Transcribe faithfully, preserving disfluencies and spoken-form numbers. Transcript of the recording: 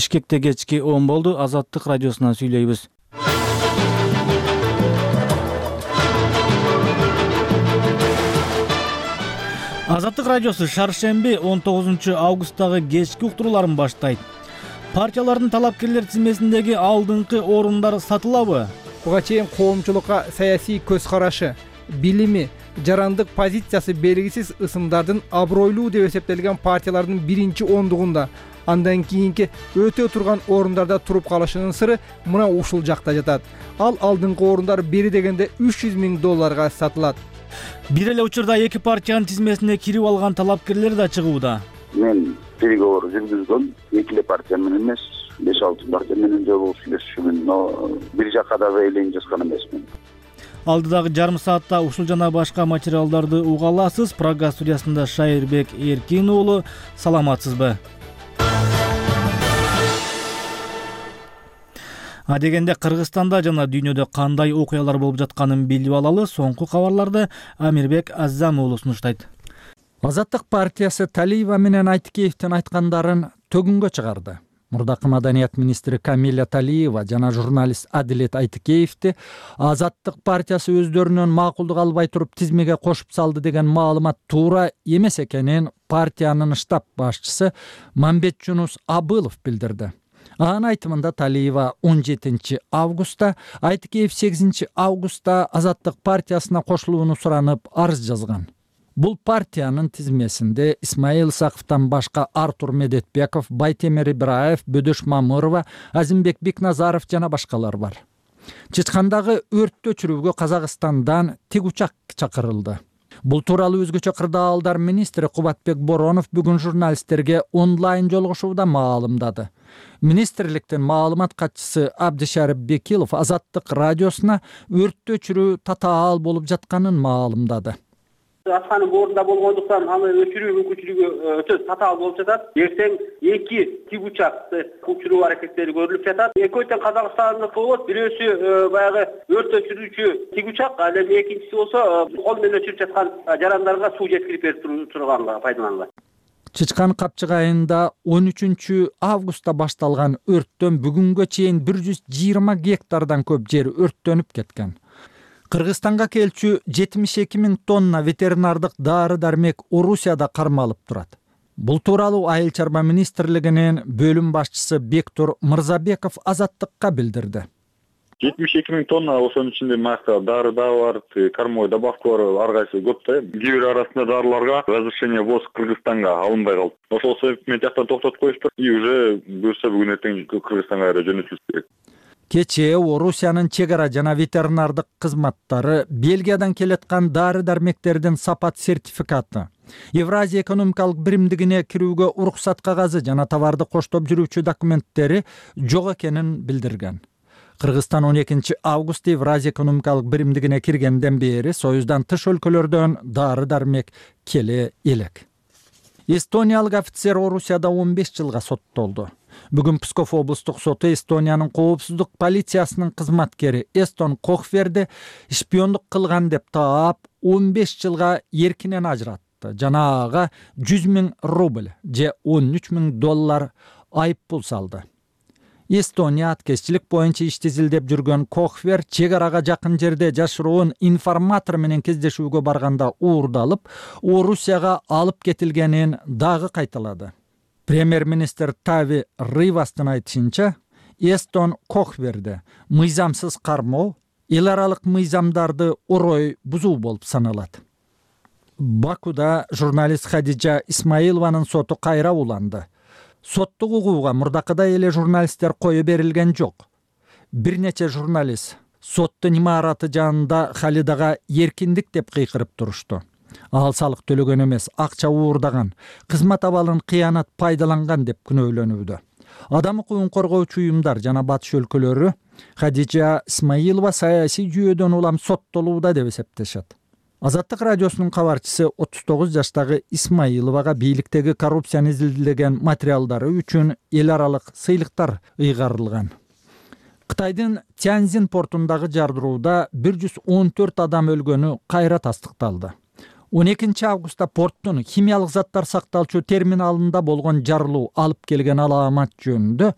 Бишкекте кечки он болду. Азаттык радиосунан сүйлөйбүз. Азаттык радиосу шаршемби он тогузунчу августтагы кечки уктурууларын баштайт. Партиялардын талапкерлер тизмесиндеги алдыңкы орундар сатылабы? Буга чейин коомчулукка саясий көз карашы, билими, жарандык позициясы белгисиз ысымдардын абройлуу деп эсептелген партиялардын биринчи ондугунда, андан кийинки өтө турган орундарда туруп калышынын сыры мына ушул жакта жатат. Ал алдыңкы орундар бери дегенде үч жүз миң долларга сатылат. Бир эле учурда эки партиянын тизмесине кирип алган талапкерлер да чыгууда. Мен переговор жүргүзгөм, эки эле партия менен эмес, беш алты партия менен жолугуп сүйлөшүшүмүн, но бир жакка да элен жазган эмесмин. Алдыдагы жарым саатта ушул жана башка материалдарды уга аласыз. Прага студиясында Шайырбек Эркин уулу, саламатсызбы? Адегенде Кыргызстанда жана дүйнөдө кандай окуялар болуп жатканын билип алалы. Соңку кабарларды Амирбек Аззам уулу сунуштайт. Азаттык партиясы Талиева менен Айтыкеевдин айткандарын төгүнгө чыгарды. Мурдакы маданият министри Камиля Талиева жана журналист Адилет Айтыкеевди Азаттык партиясы өздөрүнөн макулдук албай туруп тизмеге кошуп салды деген маалымат туура эмес экенин партиянын штаб башчысы Мамбетжунус Абылов билдирди. Анын айтымында Талиева он жетинчи августта, Айтыкеев сегизинчи августта Азаттык партиясына кошулууну суранып арыз жазган. Бул партиянын тизмесинде Исмаил Исаковтан башка Артур Медетбеков, Байтемир Ибраев, Бөдөш Мамырова, Азимбек Бекназаров жана башкалар бар. Чычкандагы өрттү өчүрүүгө Казакстандан тик учак чакырылды. Бул тууралуу өзгөчө кырдаалдар министри Кубатбек Боронов бүгүн журналисттерге онлайн жолугушууда маалымдады. Министрликтин маалымат катчысы Абдишарип Бекилов Азаттык радиосуна өрттү өчүрүү татаал болуп жатканын маалымдады. Атканын ордунда болгондуктан аны өчүрүү мүмкүнчүлүгү өтө татаал болуп жатат. Эртең эки тик учакты учуруу аракеттери көрүлүп жатат. Экөөтөн Казакстандык болот, бирөөсү баягы өрт өчүрүүчү тик учак, ал эми экинчиси болсо кол менен өчүрүп жаткан жарандарга суу жеткирип берип турганга пайдаланылат. Чычкан Капчык айында он үчүнчү августта башталган өрттөн бүгүнгө чейин бир жүз жыйырма гектардан көп жер өрттөнүп кеткен. Кыргызстанга келчү жетимиш эки миң тонна ветеринардык дары-дармек Орусияда кармалып турат. Бул тууралуу Айыл чарба министрлигинин бөлүм башчысы Бектур Мырзабеков Азаттыкка билдирди. жетимиш эки миң тонна, ошонун ичинде макта дары да бар, кормой добавка бар, ар кайсы көп да. Кээ бир арасында дарыларга разрешение ввоз Кыргызстанга алынбай калды. Ошол себептен жактан токтотуп коюштур и уже буюрса бүгүн эртең Кыргызстанга жөнөтүлүш керек. Кечээ Орусиянын чек ара жана ветеринардык кызматтары Бельгиядан келаткан дары-дармектердин сапат сертификаты, Евразия экономикалык биримдигине кирүүгө уруксат кагазы жана товарды коштоп жүрүүчү документтери жок экенин билдирген. Кыргызстан он экинчи августта Евразия экономикалык биримдигине киргенден бери Союздан тыш өлкөлөрдөн дары-дармек келе элек. Эстониялык офицер Орусияда он беш жылга соттолду. Бүгүн Псков облустук соту Эстониянын коопсуздук полициясынын кызматкери Эстон Кохверди шпиондук кылган деп таап он беш жылга эркинен ажыратты жана ага жүз миң рубль же он үч миң доллар айып пул салды. Эстония аткезчилик боюнча ишти изилдеп жүргөн Кохвер чек арага жакын жерде жашыруун информатор менен кездешүүгө барганда уурдалып, Орусияга алып кетилгенин дагы кайталады. Премьер-министр Тави Ривастын айтышынча, Эстон Кохверде мыйзамсыз кармоо эл аралык мыйзамдарды орой бузуу болуп саналат. Бакуда журналист Хадижа Исмаилованын соту кайра уланды. Соттук угууга мурдакыдай эле журналисттер кое берилген жок. Бир нече журналист соттун имараты жанында Халидага эркиндик деп кыйкырып турушту. Ал салык төлөгөн эмес, акча уурдаган, кызмат абалын кыянат пайдаланган деп күнөөлөнүүдө. Адам укугун коргоочу уюмдар жана батыш өлкөлөрү Хадижа Исмаилова саясий жүйөдөн улам соттолууда деп эсептешет. Азаттык радиосунун кабарчысы отуз тогуз жаштагы Исмаиловага бийликтеги коррупцияны изилдеген материалдары үчүн эл аралык сыйлыктар ыйгарылган. Кытайдын Тяньзин портундагы жардырууда бир жүз он төрт адам өлгөнү кайра тастыкталды. он экинчи августта порттун химиялык заттар сакталчу терминалында болгон жарылуу алып келген алаамат жөнүндө